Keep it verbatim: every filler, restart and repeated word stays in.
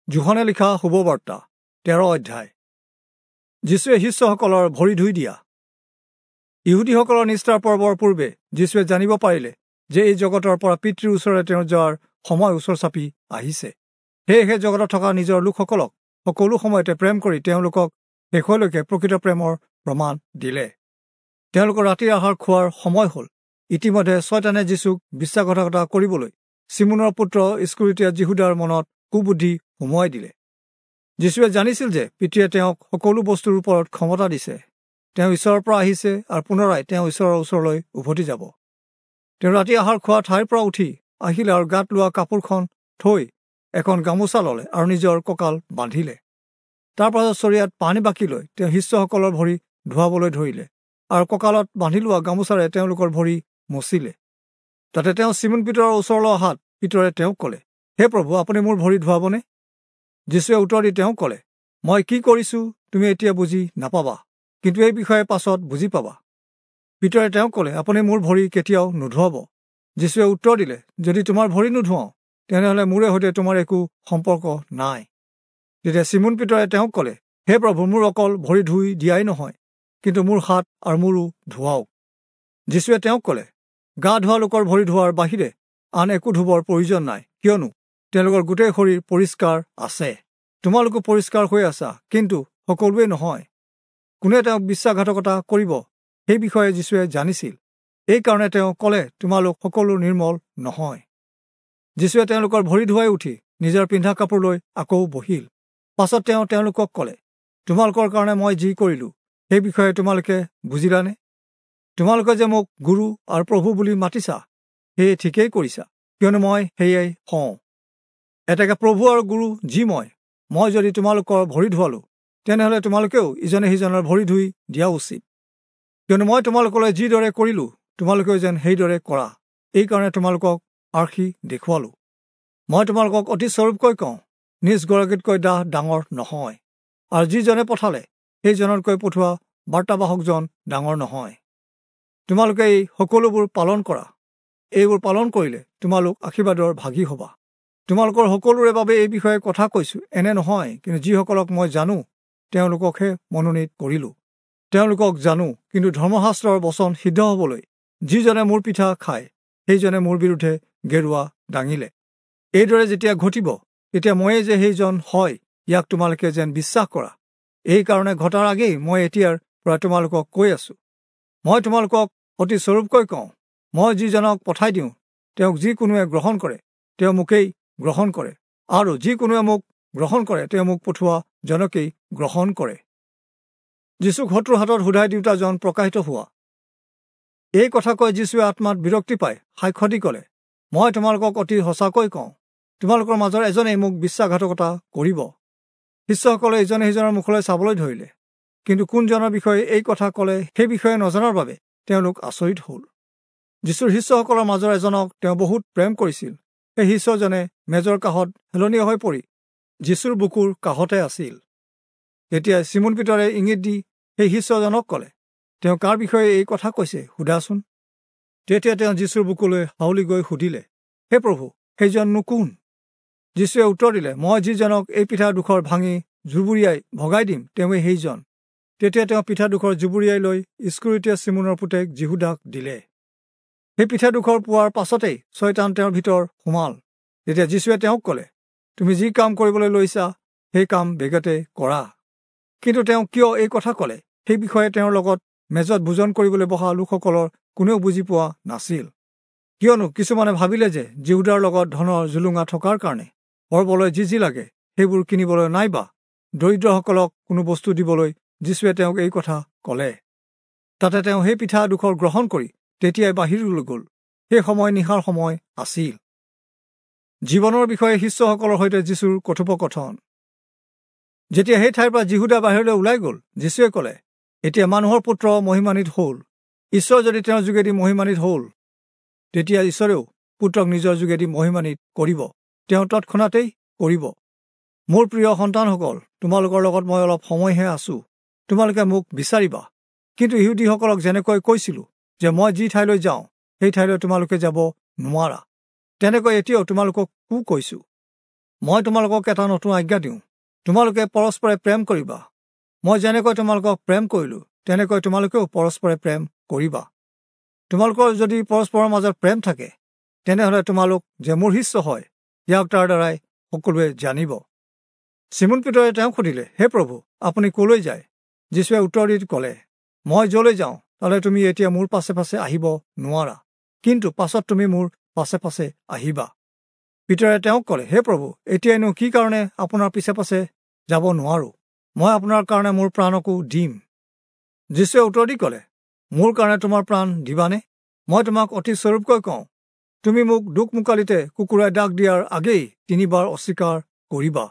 যোহনে লিখা শুভবাৰ্তা তেৰ অধ্যায়। যীশুৱে শিষ্যসকলৰ ভৰি ধুই দিয়া। ইহুদীসকলৰ নিস্তাৰ পৰ্বৰ পূৰ্বে যীশুৱে জানিব পাৰিলে যে এই জগতৰ পৰা পিতৃৰ ওচৰলৈ তেওঁ যোৱাৰ সময় ওচৰ চাপি আহিছে। সেয়েহে জগতত থকা নিজৰ লোকসকলক সকলো সময়তে প্ৰেম কৰি তেওঁলোকক শেষলৈকে প্ৰকৃত প্ৰেমৰ প্ৰমাণ দিলে। তেওঁলোকৰ ৰাতিৰ আহাৰ খোৱাৰ সময় হ'ল। ইতিমধ্যে ছয়তানে যীশুক বিশ্বাসঘাতকতা কৰিবলৈ চিমোনৰ পুত্ৰ ইস্কৰিয়োতীয়া যিহূদাৰ মনত কুবুদ্ধি সুমুৱাই দিলে। যীশুৱে জানিছিল যে পিতৃয়ে তেওঁক সকলো বস্তুৰ ওপৰত ক্ষমতা দিছে। তেওঁ ঈশ্বৰৰ পৰা আহিছে আৰু পুনৰাই তেওঁ ঈশ্বৰৰ ওচৰলৈ উভতি যাব। তেওঁ ৰাতি আহাৰ খোৱা ঠাইৰ পৰা উঠি আহিলে আৰু গাত লোৱা কাপোৰখন থৈ এখন গামোচা ল'লে আৰু নিজৰ কঁকাল বান্ধিলে। তাৰ পাছত চৰিয়াত পানী বাকি লৈ তেওঁ শিষ্যসকলৰ ভৰি ধুৱাবলৈ ধৰিলে আৰু কঁকালত বান্ধি লোৱা গামোচাৰে তেওঁলোকৰ ভৰি মচিলে। তাতে তেওঁ চিমোন পিতৰৰ ওচৰলৈ অহাত পিতৰে তেওঁক ক'লে, হে প্ৰভু, আপুনি মোৰ ভৰি ধুৱাবনে? যীশুৱে উত্তৰ দি তেওঁক ক'লে, মই কি কৰিছোঁ তুমি এতিয়া বুজি নাপাবা, কিন্তু এই বিষয়ে পাছত বুজি পাবা। পিতৰে তেওঁক ক'লে, আপুনি মোৰ ভৰি কেতিয়াও নুধুৱাব। যীশুৱে উত্তৰ দিলে, যদি তোমাৰ ভৰি নুধুৱাওঁ তেনেহ'লে মোৰে সৈতে তোমাৰ একো সম্পৰ্ক নাই। তেতিয়া চিমোন পিতৰে তেওঁক ক'লে, হে প্ৰভু, মোৰ অকল ভৰি ধুই দিয়াই নহয়, কিন্তু মোৰ হাত আৰু মোৰো ধুৱাওক। যীশুৱে তেওঁক ক'লে, গা ধোৱা লোকৰ ভৰি ধোৱাৰ বাহিৰে আন একো ধুবৰ প্ৰয়োজন নাই, কিয়নো তেওঁলোকৰ গোটেই শৰীৰ পৰিষ্কাৰ আছে। তোমালোকো পৰিষ্কাৰ হৈ আছা, কিন্তু সকলোৱে নহয়। কোনে তেওঁক বিশ্বাসঘাতকতা কৰিব সেই বিষয়ে যীশুৱে জানিছিল। এইকাৰণে তেওঁ ক'লে, তোমালোক সকলো নিৰ্মল নহয়। যীশুৱে তেওঁলোকৰ ভৰি ধুৱাই উঠি নিজৰ পিন্ধা কাপোৰ লৈ আকৌ বহিল। পাছত তেওঁ তেওঁলোকক ক'লে, তোমালোকৰ কাৰণে মই যি কৰিলোঁ সেই বিষয়ে তোমালোকে বুজিলানে? তোমালোকে যে মোক গুৰু আৰু প্ৰভু বুলি মাতিছা সেয়ে ঠিকেই কৰিছা, কিয়নো মই সেয়াই হওঁ। এতেকে প্ৰভু আৰু গুৰু যি মই, মই যদি তোমালোকৰ ভৰি ধুৱালোঁ, তেনেহ'লে তোমালোকেও ইজনে সিজনৰ ভৰি ধুই দিয়া উচিত। কিয়নো মই তোমালোকলৈ যিদৰে কৰিলোঁ তোমালোকেও যেন সেইদৰে কৰা, এইকাৰণে তোমালোকক আৰ্হি দেখুৱালোঁ। মই তোমালোকক অতি স্বৰূপকৈ কওঁ, নিজ গৰাকীতকৈ দাহ ডাঙৰ নহয়, আৰু যিজনে পঠালে সেইজনতকৈ পঠোৱা বাৰ্তাবাহকজন ডাঙৰ নহয়। তোমালোকে এই সকলোবোৰ পালন কৰা। এইবোৰ পালন কৰিলে তোমালোক আশীৰ্বাদৰ ভাগী হ'বা। তোমালোকৰ সকলোৰে বাবে এই বিষয়ে কথা কৈছোঁ এনে নহয়, কিন্তু যিসকলক মই জানো তেওঁলোককহে মনোনীত কৰিলোঁ। তেওঁলোকক জানো, কিন্তু ধৰ্মশাস্ত্ৰৰ বচন সিদ্ধ হ'বলৈ যিজনে মোৰ পিঠা খায় সেইজনে মোৰ বিৰুদ্ধে গেৰুৱা দাঙিলে। এইদৰে যেতিয়া ঘটিব তেতিয়া ময়ে যে সেইজন হয় ইয়াক তোমালোকে যেন বিশ্বাস কৰা। এইকাৰণে ঘটাৰ আগেই মই এতিয়াৰ পৰা তোমালোকক কৈ আছোঁ। মই তোমালোকক অতি স্বৰূপকৈ কওঁ, মই যিজনক পঠাই দিওঁ তেওঁক যিকোনোৱে গ্ৰহণ কৰে তেওঁ মোকেই গ্ৰহণ কৰে, আৰু যিকোনোৱে মোক গ্ৰহণ কৰে তেওঁ মোক পঠোৱা জনকেই গ্ৰহণ কৰে। যীশুক শত্ৰুৰ হাতত সোধাই দিওঁতাজন প্ৰকাশিত হোৱা। এই কথা কৈ যীশুৱে আত্মাত বিৰক্তি পাই সাক্ষ্য দি ক'লে, মই তোমালোকক অতি সঁচাকৈ কওঁ, তোমালোকৰ মাজৰ এজনেই মোক বিশ্বাসঘাতকতা কৰিব। শিষ্যসকলে ইজনে সিজনৰ মুখলৈ চাবলৈ ধৰিলে, কিন্তু কোনজনৰ বিষয়ে এই কথা ক'লে সেই বিষয়ে নজনাৰ বাবে তেওঁলোক আচৰিত হ'ল। যীশুৰ শিষ্যসকলৰ মাজৰ এজনক তেওঁ বহুত প্ৰেম কৰিছিল। সেই শিষ্যজনে মেজৰ কাষত হেলনীয়া হৈ পৰি যীশুৰ বুকুৰ কাষতে আছিল। তেতিয়া চিমোন পিতৰে ইংগিত দি সেই শিষ্যজনক ক'লে, তেওঁ কাৰ বিষয়ে এই কথা কৈছে সোধাচোন। তেতিয়া তেওঁ যীশুৰ বুকুলৈ হাউলি গৈ সুধিলে, হে প্ৰভু, সেইজননো কোন? যীশুৱে উত্তৰ দিলে, মই যিজনক এই পিঠা দুখৰ ভাঙি জুবুৰিয়াই ভগাই দিম তেওঁৱেই সেইজন। তেতিয়া তেওঁ পিঠা দুখৰ জুবুৰিয়াই লৈ ইস্কৰিয়োতীয়া চিমোনৰ পুতেক যিহূদাক দিলে। সেই পিঠা দুখৰ পোৱাৰ পাছতেই ছয়তান তেওঁৰ ভিতৰ সোমাল। তেতিয়া যীশুৱে তেওঁক ক'লে, তুমি যি কাম কৰিবলৈ লৈছা সেই কাম বেগতে কৰা। কিন্তু তেওঁ কিয় এই কথা ক'লে সেই বিষয়ে তেওঁৰ লগত মেজত ভোজন কৰিবলৈ বহা লোকসকলৰ কোনেও বুজি পোৱা নাছিল। কিয়নো কিছুমানে ভাবিলে যে যিহূদাৰ লগত ধনৰ জুলুঙা থকাৰ কাৰণে পৰ্বলৈ যি যি লাগে সেইবোৰ কিনিবলৈ নাইবা দৰিদ্ৰসকলক কোনো বস্তু দিবলৈ যীশুৱে তেওঁক এই কথা ক'লে। তাতে তেওঁ সেই পিঠা দুখৰ গ্ৰহণ কৰি তেতিয়াই বাহিৰলৈ গ'ল। সেই সময় নিশাৰ সময় আছিল। জীৱনৰ বিষয়ে শিষ্যসকলৰ সৈতে যীশুৰ কথোপকথন। যেতিয়া সেই ঠাইৰ পৰা যিহূদা বাহিৰলৈ ওলাই গ'ল, যীশুৱে ক'লে, এতিয়া মানুহৰ পুত্ৰ মহিমান্বিত হ'ল। ঈশ্বৰ যদি তেওঁৰ যোগেদি মহিমান্বিত হ'ল, তেতিয়া ঈশ্বৰেও পুত্ৰক নিজৰ যোগেদি মহিমান্বিত কৰিব, তেওঁ তৎক্ষণাতেই কৰিব। মোৰ প্ৰিয় সন্তানসকল, তোমালোকৰ লগত মই অলপ সময়হে আছোঁ। তোমালোকে মোক বিচাৰিবা, কিন্তু ইহুদীসকলক যেনেকৈ কৈছিলোঁ যে মই যি ঠাইলৈ যাওঁ সেই ঠাইলৈ তোমালোকে যাব নোৱাৰা, তেনেকৈ এতিয়াও তোমালোককো কৈছোঁ। মই তোমালোকক এটা নতুন আজ্ঞা দিওঁ, তোমালোকে পৰস্পৰে প্ৰেম কৰিবা। মই যেনেকৈ তোমালোকক প্ৰেম কৰিলোঁ, তেনেকৈ তোমালোকেও পৰস্পৰে প্ৰেম কৰিবা। তোমালোকৰ যদি পৰস্পৰৰ মাজত প্ৰেম থাকে, তেনেহ'লে তোমালোক যে মোৰ শিষ্য হয়, ইয়াক তাৰ দ্বাৰাই সকলোৱে জানিব। চিমোন পিতৰে তেওঁক সুধিলে, হে প্ৰভু, আপুনি কলৈ যায়? যীশুৱে উত্তৰ দি ক'লে, মই য'লৈ যাওঁ তালৈ তুমি এতিয়া মোৰ পাছে পাছে আহিব নোৱাৰা, কিন্তু পাছত তুমি মোৰ পাছে পাছে আহিবা। পিতৰে তেওঁক ক'লে, হে প্ৰভু, এতিয়াইনো কি কাৰণে আপোনাৰ পিছে পাছে যাব নোৱাৰোঁ? মই আপোনাৰ কাৰণে মোৰ প্ৰাণকো দিম। যীশুৱে উত্তৰ দি ক'লে, মোৰ কাৰণে তোমাৰ প্ৰাণ দিবানে? মই তোমাক অতি স্বৰূপকৈ কওঁ, তুমি মোক দোকমোকালিতে কুকুৰাই ডাক দিয়াৰ আগেই তিনিবাৰ অস্বীকাৰ কৰিবা।